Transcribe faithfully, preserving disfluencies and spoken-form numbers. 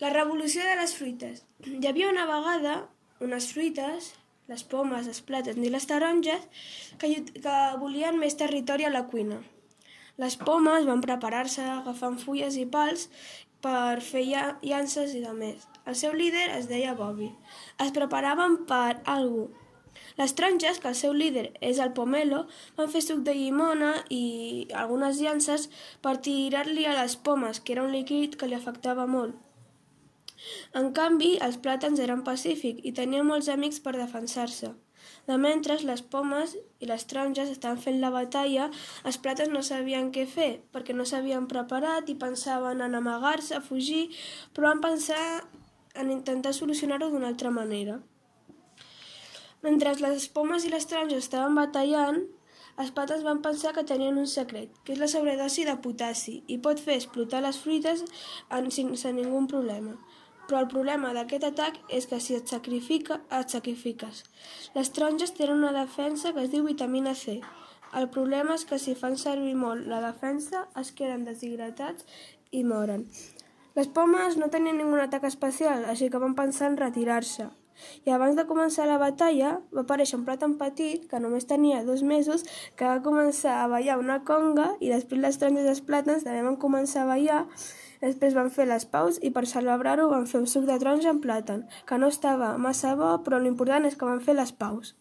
La revolució de les fruites. Hi havia una vegada unes fruites, les pomes, els plàtans i les taronges, que, que volien més territori a la cuina. Les pomes van preparar-se agafant fulles i pals per fer llances i de més. El seu líder es deia Bobby. Es preparaven per algú. Les taronges, que el seu líder és el pomelo, van fer suc de llimona i algunes llances per tirar-li a les pomes, que era un líquid que li afectava molt. En canvi, els plàtans eren pacífics i tenien molts amics per defensar-se. De mentre, les pomes i les taronges estaven fent la batalla, els plàtans no sabien què fer, perquè no s'havien preparat i pensaven en amagar-se, a fugir, però van pensar en intentar solucionar-ho d'una altra manera. Mentre les pomes i les taronges estaven batallant, els plàtans van pensar que tenien un secret, que és la sobredosi de potassi, i pot fer explotar les fruites sense ningú problema. Però el problema d'aquest atac és que si et, sacrifica, et sacrifiques. Les taronges tenen una defensa que es diu vitamina C. El problema és que si fan servir molt la defensa es queden deshidratats i moren. Les pomes no tenien ningú atac especial, així que van pensar en retirar-se. I abans de començar la batalla va aparèixer un plàtan petit que només tenia dos mesos que va començar a ballar una conga i després les taronges i els plàtans també van començar a ballar. Després van fer les paus i per celebrar-ho van fer un suc de taronja amb plàtan, que no estava massa bo, però l'important és que van fer les paus.